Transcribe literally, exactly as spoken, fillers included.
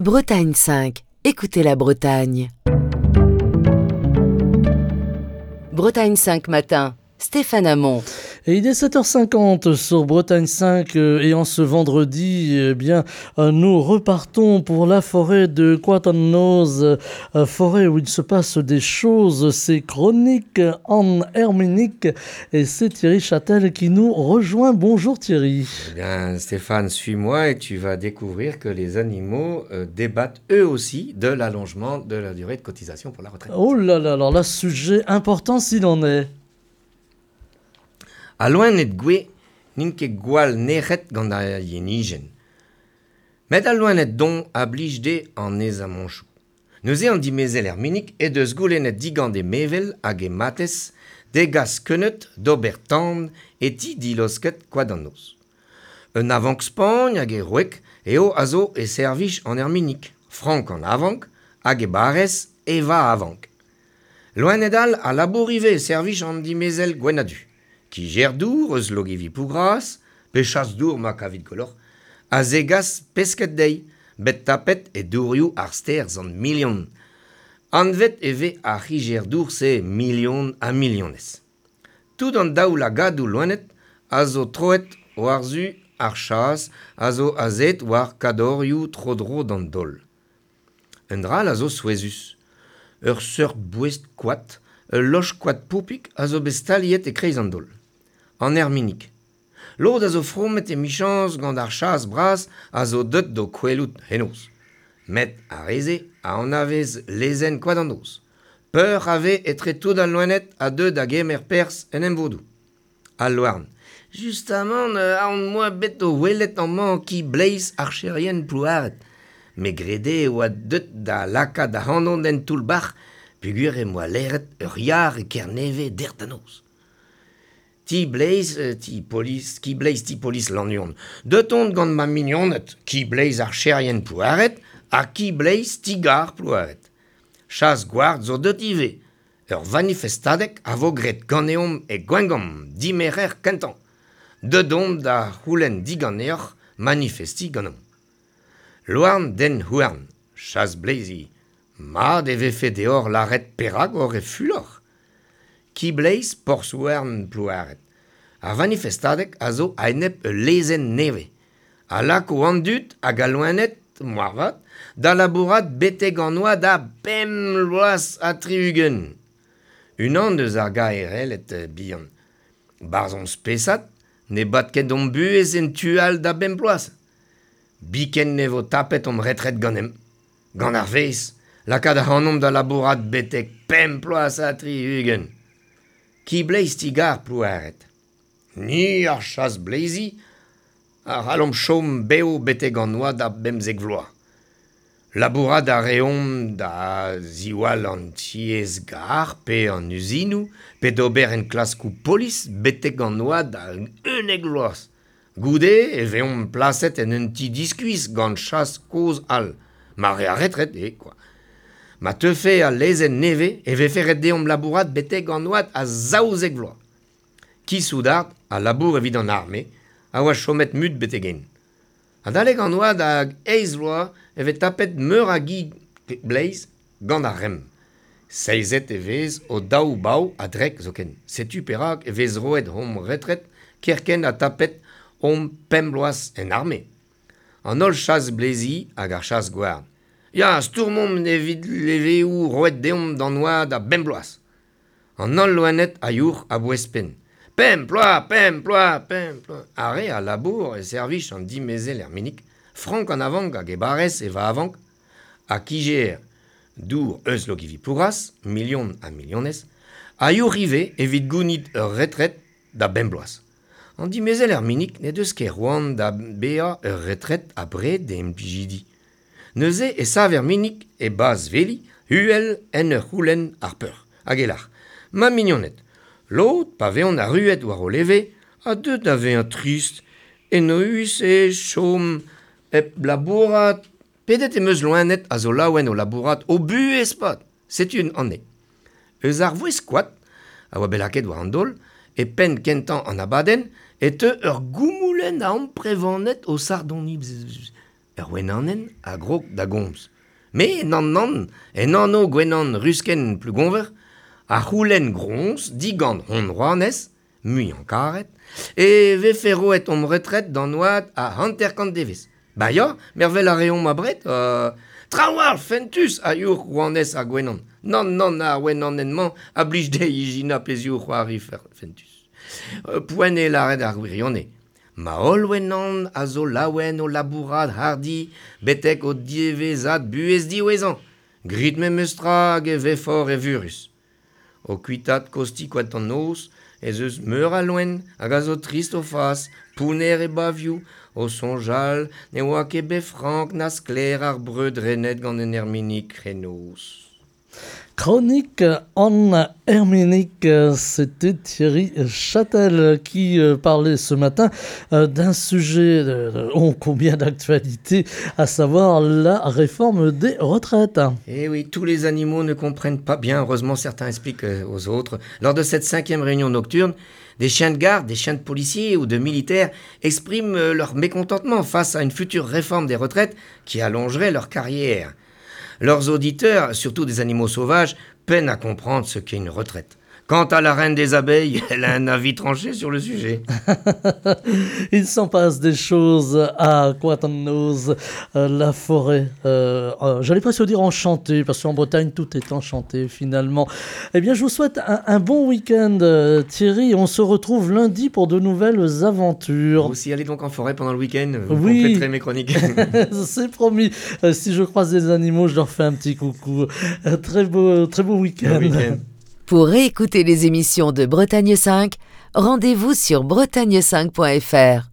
Bretagne cinq, écoutez la Bretagne. Bretagne cinq matin, Stéphane Hamon. Et il est sept heures cinquante sur Bretagne cinq et en ce vendredi, eh bien, nous repartons pour la forêt de Koad an Noz, forêt où il se passe des choses, c'est Chronique en Herminique et c'est Thierry Châtel qui nous rejoint. Bonjour Thierry. Eh bien Stéphane, suis-moi et tu vas découvrir que les animaux euh, débattent eux aussi de l'allongement de la durée de cotisation pour la retraite. Oh là là, alors là, sujet important s'il en est. A loened gwe n'int ket gwall nec'het gant ar yenijenn. Met al loened don a blij de an ez amonchoù. Neuze an dimezel Herminik e deus goulennet digant e mevel hag e matez degas keuneud d'ober tan e ti dilosket koad an noz. Un avank Spagn hag e roek eo a zo e servij an Herminik, Frank an avank hag e barez Eva avank. Loened all a labour ivez e servij an dimezel Gwenadu. Ki dour eus logivi pougras, pe chas dour ma kavit golor, a zegas pesket dei, bet tapet e dourioù ar ster zant milion. Anvet e ve ar c'higer dour se milion a milionez. Tout an daou lagadou loenet a zo troet war zu ar chas a zo azet war kadorioù tro-dro d'an dol. Un dral a zo souezus. Ur seurt bouest koad, ul loch koad poupik a zo bet staliet e kreiz an dol. An Herminik. Lod a zo fromet e michans gant ar chas bras a zo deut do kwelout henoz. Met ar reze a anavez lezen koad an noz. Peur a ve etre tout al loenet a deut da gemer pers en emvodou. Al loarn. Justamant a an moa bet o welet an man ki bleiz archerien plouaret. Me grede oa deut da laka da hanon den toull-bac'h pugur e moa leret ur yar e kerneve dert an noz. Ti bleiz, ti polis, ki bleiz ti polis lanion. Deut on gant ma mignonet, ki bleiz archerien plouaret, ha ki bleiz ti gar plouaret. Chas gward zo deut ivez. Ur vanifestadek a vo gret ganeomp e gwengomp, dimerer kentan. Deut on da c'houlenn diganeoc'h manifesti ganeomp. Louarn den houarn, chas bleizi. Mat e vefe deor laret perak or e fulor. Ki bleiz porzhouarn plouaret. Ar vanifestadek a zo a-enep ul lezenn nevez. A lako an dud hag a loened, moarvat, da labourat betek an oad a pemp bloaz ha tri-ugent. Unan deus ar gaerelet bihan. Barzh on spesad ne bat ket hon buhez en tu all da bemp bloaz. Biken ne vo tapet hon retret ganemp. Gant ar vez, lakaat ac'hanomp da labourat betek pemp bloaz ha tri-ugent. Ki bleiz ti gar plouaret. Ni ar chas bleizi, ar c'hallomp chom bev betek an oad a bemzek vloaz. Labourat a reomp da ziwall an tiez gar pe an uzinoù, pe d'ober en klaskoù polis betek an oad a unnek vloaz. Goude e veomp plaset en un ti diskuizh gant chas kozh all. Mare a retret e, quoi. Ma teufe al lezenn nevez e vefe ret deomp labourat betek an oad a zaouzek vloaz. Ki soudard a labour evit an arme a oa chomet mut betek en. Adalek an oad hag eizh vloaz e vez tapet meur a gi bleiz gant ar remm. Seizet e vez o daou bav a-drek zoken. Setu perak e vez roet hom retret kerkent a tapet hom pemp bloaz en arme. An holl chas bleizi hag ar chas gward. Ya, stourmomp evit leveoù roet deomp d'an oad a bemp bloaz. An holl loened a youc'h a bouez-penn. Pemp ploaz, pemp ploaz, pemp ploaz. Ar re a labour e servij an dimezel Herminik, Frank an avank hag e barez e va avank, ha kijer dour eus logivi plouras, milion ha milionez, a youc'h ivez evit gounit ur retret da bemp bloaz. An dimezel Herminik ne deus ket roan da bezañ ur retret abred d'e implijidi. Neuze e sav Herminik e baz veli, huel en ur c'houlenn ar peur. Hag e lar, ma mignoned, lod, pa veont arruet war o leve, a deut da vezañ trist, enoeus e chom hep labourat. Pedet em eus loened a zo laouen o labourat o buhez pad. Setu un anne. Eus ar vouez koad, a oa bet lakaet war an daol, e penn kentañ an abadenn, e teu ur goumoulenn a amprevaned o sardoni. Ur wenanen a grog da gomz. Me nan nan, en anno gwenan rusken plugonver, a c'houlenn groñs digant hon rouanez, muiañ karet, e vefe roet omp retret d'an oad a hanter-kant devezh. Ba ya, mervel a reomp abred, euh, trawal fentus a youc'h rouanez ar gwenan. Nann, nann, ar wenanen-mañ a blij dezhi ijinañ pezhioù c'hoari fentus. Euh, poent eo lâret ar gwirionez. Ma holl wenan a zo laouen o labourat hardi betek o diwezhat buhez diwezhañ. Grit memes tra hag e vefoc'h evurus. O kuitaat kosti koad an noz, ez eus meur a loen hag a zo trist o fas, pounner e bavioù, o soñjal ne oa ket bet frank na sklaer ar breud renet gant un erminig henoz. Chronique en Herminique, c'était Thierry Châtel qui parlait ce matin d'un sujet ô combien d'actualité, à savoir la réforme des retraites. Eh oui, tous les animaux ne comprennent pas bien, heureusement certains expliquent aux autres. Lors de cette cinquième réunion nocturne, des chiens de garde, des chiens de policiers ou de militaires expriment leur mécontentement face à une future réforme des retraites qui allongerait leur carrière. Leurs auditeurs, surtout des animaux sauvages, peinent à comprendre ce qu'est une retraite. Quant à la reine des abeilles, elle a un avis tranché sur le sujet. Il s'en passe des choses à Koad an Noz, euh, la forêt. Euh, euh, j'allais presque dire enchantée, parce qu'en Bretagne, tout est enchanté finalement. Eh bien, je vous souhaite un, un bon week-end, Thierry. On se retrouve lundi pour de nouvelles aventures. Vous aussi, allez donc en forêt pendant le week-end. Vous oui. compléterez mes chroniques. C'est promis. Euh, si je croise des animaux, je leur fais un petit coucou. Euh, très beau, très beau week-end. Bon week-end. Pour réécouter les émissions de Bretagne cinq, rendez-vous sur bretagne cinq point f r.